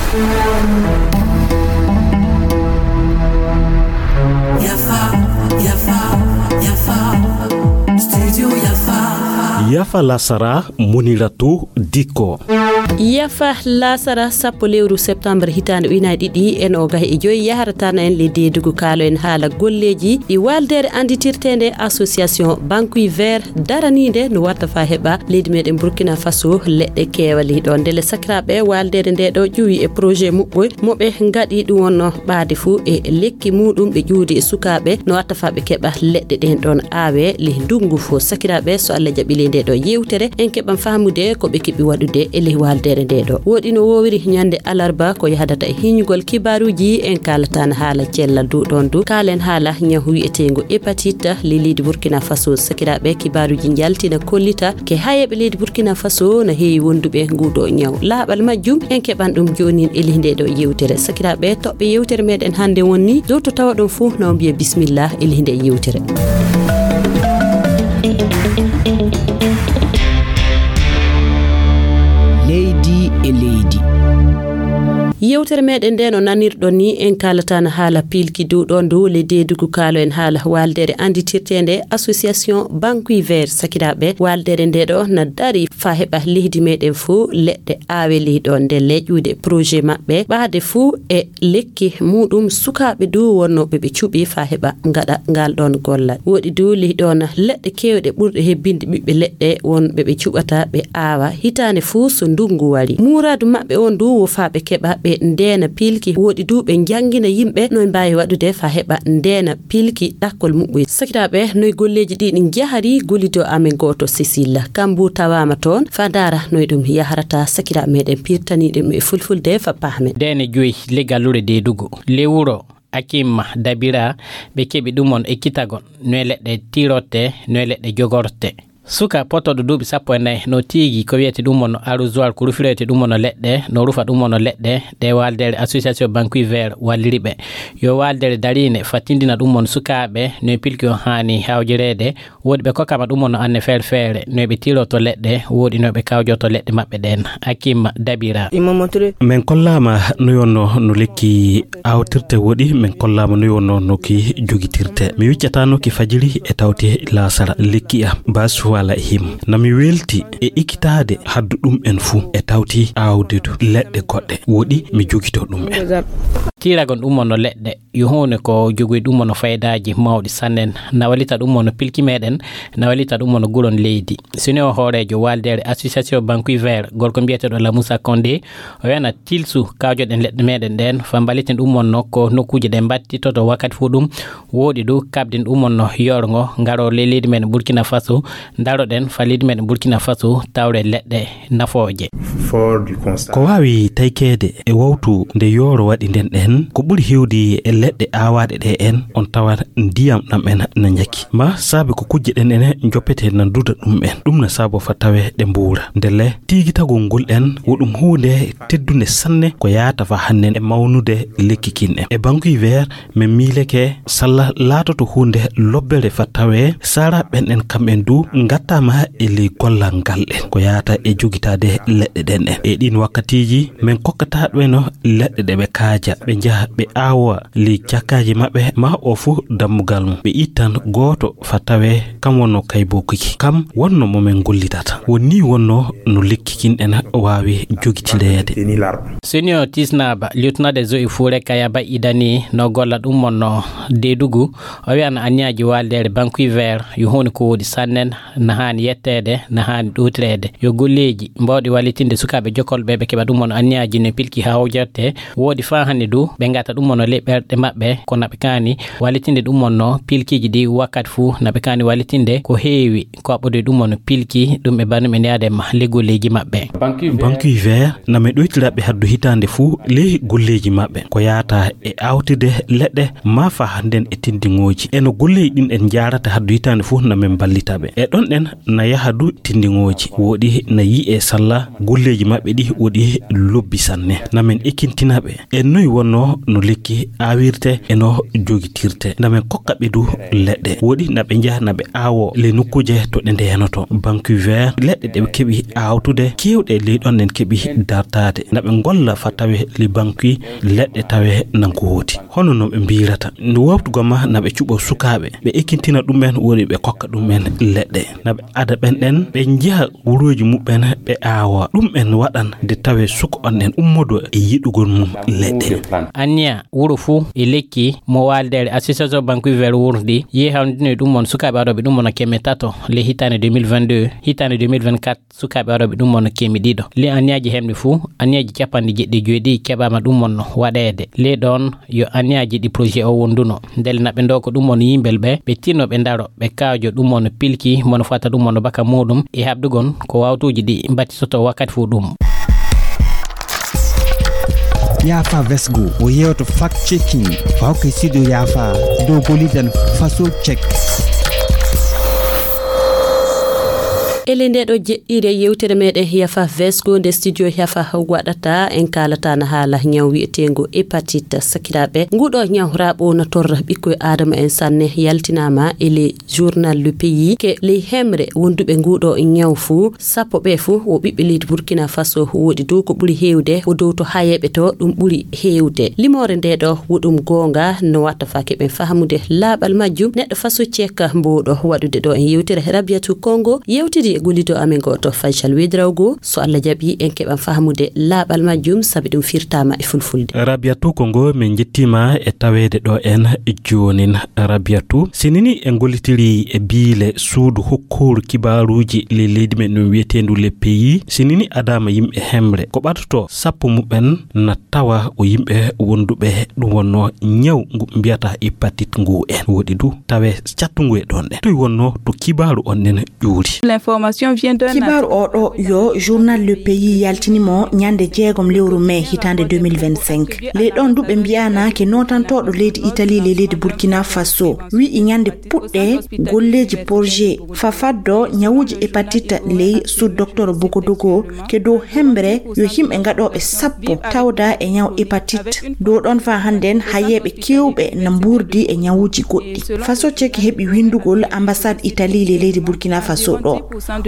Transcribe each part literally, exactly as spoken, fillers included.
Yafa, yafa, yafa. Studio yafa. Yafa lasara, Muniratu Dikko. Yafa lasara, sappo lewru septembre hitaande ujunaaji ɗiɗi e noogas e joy, yahrata na en le deedugu kaalo en haala golleeji ɗi waaldeere annditirteende association Banque Vert daraniinde no watta fa heɓa leydi meɗen Burkina Faso leɗɗe keewali ɗo. Ndele sakiraaɓe, waaldeere nde ɗo ƴuwi e projet muɓɓoy mo ɓe ngaɗi ɗum wonno ɓaade fuu e lekki muɗum ɓe ƴuwdi e sukaaɓe no watta fa ɓe keɓa leɗɗe ɗen ɗon aawe le ndungu fo. Sakiraaɓe, so Allah jaɓi le nde ɗo yewtere, en keɓan faamude ko ɓe keɓi waɗude e le waaldeere nde ɗo. Woɗi no wowiri ñande alarba ko yahdata e hiñugol kibaaruuji, en kaalatan haala cellal du ɗon du. Kaalen haala ñaw wi'eteengo hépatite le leydi Burkina Faso. Sakiraaɓe, kibaaruuji njaltina kollita ke hayeeɓe leydi Burkina Faso na heewi wonduɓe nguɗo ñaw. Laaɓal majjum en keɓan ɗum joonin e lihde ɗo yewtere. Sakiraaɓe, toɓɓe yewtere meɗen hannde wonni dow to tawaɗon fuu na mbiya bismillah e lihde yewtere. Leydi e leydi. Yewtere meɗen nde no nanirɗon ni en kaalatan haala pilki dow ɗon dow le deedugu kaalo en haala waaldeere annditirteende association Banque Vert. Sakiraaɓe, waaldeere nde ɗo na dari fa heɓa leydi meɗen fuu leɗɗe aawe ley ɗo nde leƴƴude projet maɓɓe ɓaade fuu e lekki muɗum sukaaɓe du wonnooɓe ɓe cuɓi fa heɓa ngaɗa ngal ɗon gollal. Woɗi du ley ɗon leɗɗe keewɗe ɓurɗe hebbinde ɓiɓɓe leɗɗe wonɓe ɓe cuɓata ɓe aawa hitaande fuu so ndungu wari. Muuraadu maɓɓe on du wo fa ɓe keɓa ɓe ndeena pilki. Woɗi du ɓe njangina yimɓe no ɓe mbaawi waɗude fa heɓa ndeena pilki ɗakkol muɓɓoy. Sakiraaɓe, noy golleeji ɗi ɗi njahari? Gollido amen gooto Cécile Kambu tawaama toon fa ndaara noy ɗum yahrata. Sakiraaɓe meɗen pirtani ɗum e fulfulde fa paame. Deene joyi le gallure deedugu le wuro Akim Dabira ɓe keɓi ɗum on ekkitagol noy leɗɗe tirotte, noy leɗɗe jogorte. Suka potooɗo duuɓi sappo e nayi no tiigi ko wiyete ɗum on arrosoir, ko rufiroyte ɗum on leɗɗe, no rufa ɗum on leɗɗe ɗe waaldeere association Banque Vert walliri ɓe. Yo waaldeere dariinde fattindina ɗum on sukaaɓe no e pilki on haani hawjoreede. Woodi ɓe kokkama ɗum on anne feere feere no ɓe tiroto leɗɗe, woodi no ɓe kawjoto leɗɗe maɓɓe ɗen. Akim Dabira. Min kollaama no yonno no lekki awtirte woɗi, min kollaama no yonno no ki jogitirte. Mi wiccata no ki fajiri e tawte laasara. Lekki a bas wala him. Na mi welti e ikkitaade haddu ɗum en fuu e tawti aawde du leɗɗe goɗɗe. Woɗi mi jogito ɗum en. Tiiragon ɗum on no leɗɗe, yo huune ko jogoy ɗum on no faydaaji mawɗi sannen. Na walita ɗum on no pilki meɗen, na walita ɗum on no guron leydi. Sini o hooreejo waaldeere association Banque Vert, gorko mbiyeteeɗo Lamusa Condé, o wiyana tilsu kawjoɗen leɗɗe meɗen ɗen, fa mballiten ɗum on no ko nokkuuje ɗe mbattitoto wakkati fuu ɗum. Woodi du kaɓden ɗum on no yorgo ngaro le leydi meɗen Burkina Faso, ndaroɗen fa leydi meɗen Burkina Faso tawre leɗɗe nafooje. Ko waawi taykeede e wawtu nde yooro waɗi nden ɗen, ko ɓuri heewdi e leɗɗe aawaaɗe ɗe en, on tawa ndiyam ɗam en na njaki. Ma saabe ko kujje ɗen ene njoppete na duda ɗum en. Ɗum na saabo fa tawe ɗe mbuura. Ndelle, tiigitagol ngol en, wo ɗum huunde teddunde sanne ko yaata fa hannen e mawnude lekki kin en. E Banque Vert, min miileke salla laatoto huunde lobbere fa tawe sara ɓen en kam en du ngattaama e ley gollal ngal en. Ko yaata e jogitaade leɗɗe ɗen en. E ɗin wakkatiiji, min kokkata ɗo eno leɗɗe ɗe ɓe kaaja, ɓe njaha ɓe aawa ley cakkaaji maɓɓe, ma o fuu dammugal mum. Ɓe ittan gooto fa tawe kam wonno kay bokuki. Kam wonno mo min gollitata. Won ni wonno no lekki kin en waawi jogitireede. Senior Tisnaba, lieutenant des eaux et forêts Kayaba Idani, no golla ɗum mon no deedugu. O wi'an anniyaaji waaldeere Banque Vert yo huunde ko woodi sannen, na haani yetteede, na haani ɗowtireede. Yo golleeji mbaawɗi wallitinde sukaaɓe jokolɓe ɓe keɓa ɗum on anniyaaji no pilki hawjerte. Woodi faa hannde du, ɓe ngata ɗum on ley ɓerɗe maɓɓe, kono ɓe kaani wallitinde ɗum on no pilkiiji ɗi wakkati fuu, na ɓe kaani wallitinde ko heewi, ko aɓɓude ɗum on pilki, ɗum ɓe bannu ɓe yaade ma ley golleeji maɓɓe. Banque Vert na mi ɗoytira ɓe haddu hitaande fuu ley golleeji maɓɓe, ko yaata e awtide leɗɗe, ma faa hannden e tindiŋooji. E no golleeji ɗin en njaarata haddu hitaande fuu na min mballita ɓe. E ɗon ɗen na yaha du tindiŋooji. Woɗi na yi'e salla golleeji maɓɓe ɗi woɗi lobbi sanne. Na min ekkintina ɓe. E noy wonno no lekki aawirte e no jogitirte. Na men kokka ɓe du leɗɗe. Woɗi na ɓe njaha na ɓe aawo le nokkuuje to ɗe ndeyanoto. Banque vert leɗɗe ɗe ɓe keɓi aawtude keewɗe ley ɗon en keɓi dartaade. Na ɓe ngolla fa tawe le banque leɗɗe tawe na ngoodi. Hono no ɓe mbiirata. Nde woftu goma na ɓe cuɓo sukaaɓe. Ɓe ekkintina ɗum en woɗi ɓe kokka ɗum en leɗɗe. Na ɓe ada ɓen ɗen ɓe njaha wuruuji muɓɓen ɓe aawa. Ɗum en waɗan nde tawe suka on en ummodo e yiɗugol mum leɗɗe. Anniya wuro fuu e lekki mo waaldeere association banque vert wurdi yehi hawndino e ɗum on sukaaɓe aroɓe ɗum on keme tato le hitaande deux mille vingt-deux, hitaande deux mille vingt-quatre, sukaaɓe aroɓe ɗum on keme ɗiɗo. Le anniyaaji hemɓe fuu, anniyaaji capanɗe jeɗɗi e joyi ɗi keɓaama ɗum on waɗeede. Le ɗon yo anniyaaji ɗi projet o wonduno. Ndelle na ɓe ndoko ɗum on yimɓe ɓe, ɓe tinno ɓe ndaro, ɓe kaajo ɗum on pilki, mono fata ɗum on baka muɗum, e haɓdugon ko wawtuuji ɗi mbatisoto wakkati fuu ɗum. Yaafa Vesgo, o yewto fact checking, fawke sido yaafa, dow golidan faso check. Ele nde ɗo jeɗɗire yewtere meɗen Yafa Vesgo nde studio Yafa waɗata, en kaalata na haala ñaw wi'eteengo hépatite. Sakiraaɓe, nguɗo ñaw raɓo na torra ɓikkoy Adama en sanne, yaltinaama e le journal Le Pays ke ley hemre wonduɓe nguɗo ñaw fuu, sappo ɓe fuu wo ɓiɓɓe leydi Burkina Faso, woɗi dow ko ɓuri heewde wo dow to hayeɓe to ɗum ɓuri heewde. Limoore nde ɗo wo ɗum goonga no watta fa keɓen fahamude laaɓal majjum. Neɗɗo faso cekka mbowɗo waɗude ɗo en yewtere Rabiatou Kongo yewtidi e gollido amen gooto Faisal Wedrawgo. So Allah jaɓi en keɓan fahamude laaɓal majjum sabi ɗum firtama e fulfulde. Rabiatou Kongo, min njettima e taweede ɗo en joonin. Rabiatou, sinini en gollitiri e biile suudu hokkooru kibaaruuji ley leydi men ɗum wiyeteendu Le Pays, sinini adaama yimɓe hemre ko ɓatoto sappo muɓɓen na tawa o yimɓe wonduɓe ɗum wonno ñaw ngu mbiyata hépatite ngu en woɗi du tawe cattungu e ɗon ɗe. Toy wonno to kibaaru on nen ƴuuri? L'information vient d'un... Kibaaru o ɗo yo journal Le Pays yaltini mo ñande jeegom lewru mai hitaande deux mille vingt-cinq. Ley ɗon du ɓe mbiyana ke nootantooɗo leydi Italie ley leydi Burkina Faso wi'i ñande puɗɗe golleeji projet fa faddo ñawuuji hépatite ley sous docteur Bogodogo ke dow hembre yo yimɓe gaɗooɓe sappo tawda e ñaw hépatite. Dow ɗon fa hannden hayeeɓe kewɓe na mbuurdi e ñawuuji goɗɗi. Faso Cek heɓi winndugol ambassade Italie ley leydi Burkina Faso ɗo.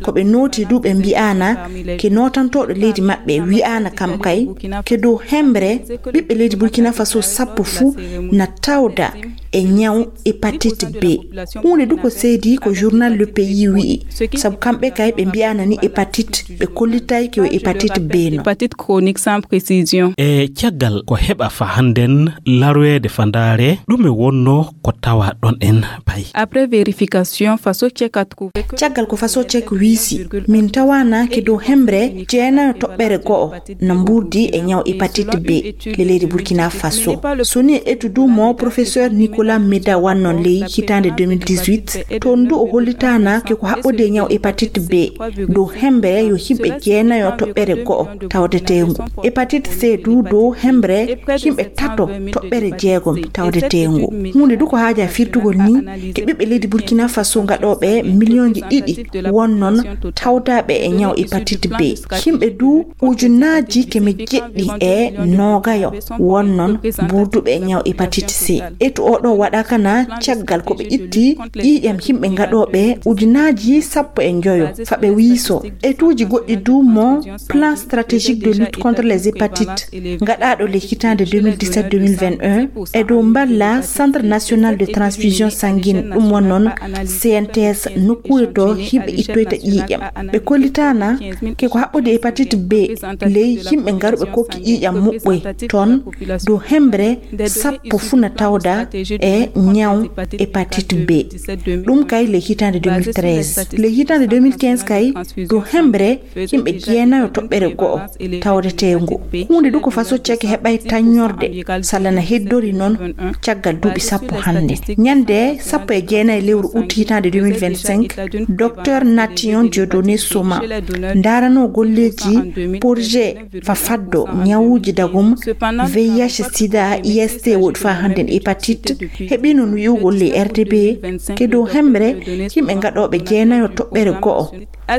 Ko ɓe nooti du ɓe mbi'aana ke nootantooɗo leydi maɓɓe wi'aana kam kay ke dow hembre ɓiɓɓe leydi Burkina Faso sappo fuu na tawda e ñaw hépatite B. Huunde du ko seedi ko journal Le Pays wi'i, sabu kamɓe kay ɓe mbi'aana ni hépatite, ɓe kollitay ko hépatite B no. Hépatite chronique sans précision. E caggal ko heɓa fa hannden larweede fa ndaare, ɗume wonno ko tawa ɗon en pay? Après vérification, Faso Cek a trouvé que... Caggal ko Faso Cek wiisi, min tawaana ke dow hembre jeenayo toɓɓere go'o na mbuurdi e ñaw hépatite B le leydi Burkina Faso. So ni e etu du mo professeur Nicolas Meda wannon ley hitaande deux mille dix-huit, toon du o hollitaana ke ko haɓɓodi e ñaw hépatite B dow hembre yo yimɓe jeenayo toɓɓere go'o tawdeteengu. Hépatite C du dow hembre yimɓe tato toɓɓere jeegom tawdeteengu. Huunde du ko haaja firtugol ni ke ɓiɓɓe leydi Burkina Faso gaɗooɓe miliyonji ɗiɗi wonnon tawdaaɓe e ñaw hépatite B. Yimɓe du ujunaaji keme jeɗɗi e noogayo wonnon mbuurduɓe e ñaw hépatite C. Etu o ɗo waɗa kana caggal ko ɓe itti ƴiiƴam yimɓe gaɗooɓe ujunaaji sappo e njoyo fa ɓe wiiso. Etuuji goɗɗi du mo plan stratégique de lutte contre les hépatites gaɗaaɗo le hitaande deux mille dix-sept deux mille vingt et un e dow mballa Centre National de Transfusion Sanguine, ɗum wonnon C N T S, nokkuure to yimɓe ittoyta ƴiiƴam. Ɓe kollitaana ke ko haɓɓodi hépatite B ley yimɓe garuɓe kokki ƴiiƴam muɓɓoy toon dow hembre sappo fuu na tawda e ñaw hépatite B. Ɗum kay ley hitaande deux mille treize. Ley hitaande deux mille quinze kay dow hembre yimɓe jeenayo toɓɓere go'o tawdeteengu. Huunde du ko Faso Cek heɓay taññorde salla na heddori noon caggal duuɓi sappo hannde. Ñande sappo e jeenayi lewru ut hitaande deux mille vingt-cinq, docteur Nation Dieudonné Soma ndaarano golleeji projet fa faddo ñawuuji dagum V I H sida, I S T woɗi fa hannden hépatite, Heɓino no wi'ugol le R T B ke dow hemre yimɓe gaɗooɓe jeenayo toɓɓere go'o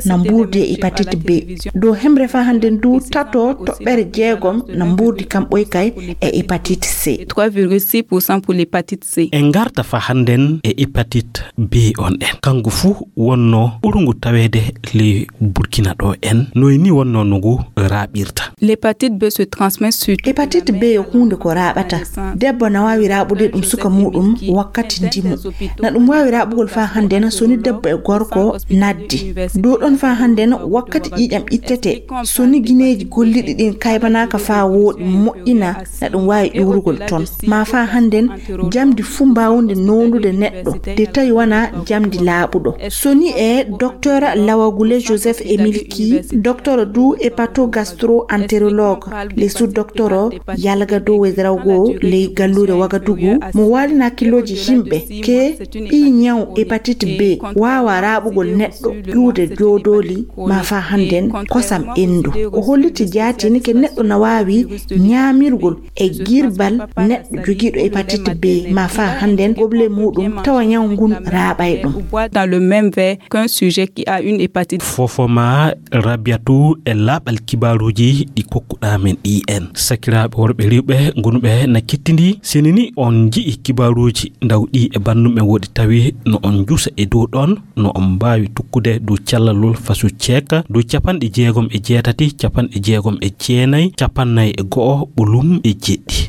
na mbuurdi e hépatite B. Dow hemre faa hannden du tato toɓɓere jeegom na mbuurdi kamɓoy kay e hépatite C. trois virgule six pour cent pour l'hépatite C. En ngarta faa hannden e hépatite B on ɗen. Kanko fuu wonno ɓurungu taweede ley Burkina ɗo en. Noy ni wonno no ngu raaɓirta? L'hépatite B se transmet sur Hépatite B yo huunde ko raaɓata. Debbo na waawi raaɓude ɗum suka muuɗum wakkati ndimu. Na ɗum waawi raaɓugol faa hannden so ni debbo e gorko naddi. Dow ɗon faa hannden wakkati ƴiiƴam ittete, so ni gineeji golliɗi ɗin kaybanaaka faa wooɗi moƴƴina, na ɗum waawi ƴuurugol ton. Maa faa hannden jamdi fuu mbaawunde noondude neɗɗo, de tawi wanaa jamdi laaɓuɗo. So ni e Docteur Lawagule Joseph Emile Key, docteur du hépatogastro-entérologue, le sous-docteur Yalga do Ouedraogo, ley galluure Wagadugu, mo waalina hakkillooji yimɓe ke ɓii ñaw hépatite B waawa raaɓugol neɗɗo ƴuude joodooli maa faa hannden kosam enndu. O holliti jaatini ke neɗɗo na waawi ñaamirgol e girbal neɗɗo jogiiɗo hépatite B maa faa hannden goble muuɗum tawa ñaw ngun raaɓay ɗum. Boit dans le même verre qu'un sujet qui a une hépatite. Fofoma Rabiatu e laaɓal kibaaruuji ɗi kokkuɗaa men ɗi en. Sakiraaɓe worɓe rewɓe gonuɓe na kettindi, sini ni on nji'i kibaaruuji ndawɗi e bannduɓe woɗi tawi no on njusa e dow ɗon, no on mbaawi tukkude dow callalol fasu ceeka dow capanɗe jeegom e jeetati, capanɗe jeegom e jeenay, capannay e go'o, ɓolum e jeɗɗi.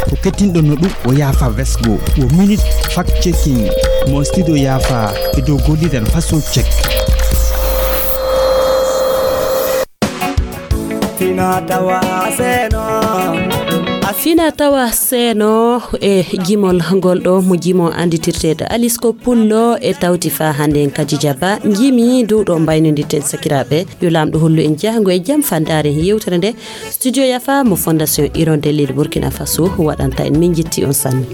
Ko kettinɗo no ɗum o yaafa vesgo, wo minute fact checking, mo studio yaafa e dow golliren faso check. Fina tawa seno. Fina tawa seno e jimol ngol ɗo mo jimo anditirteɗo Alice ko pullo e tawti fa hande en Kadija Ba. Jimi dow ɗo mbaynoditen sakiraaɓe. Yo Laamɗo hollu en jahango e jam fa ndaaren yewtere nde. Studio Yafa mo Fondation Hirondelle de Burkina Faso waɗanta en. Min jetti on sanne.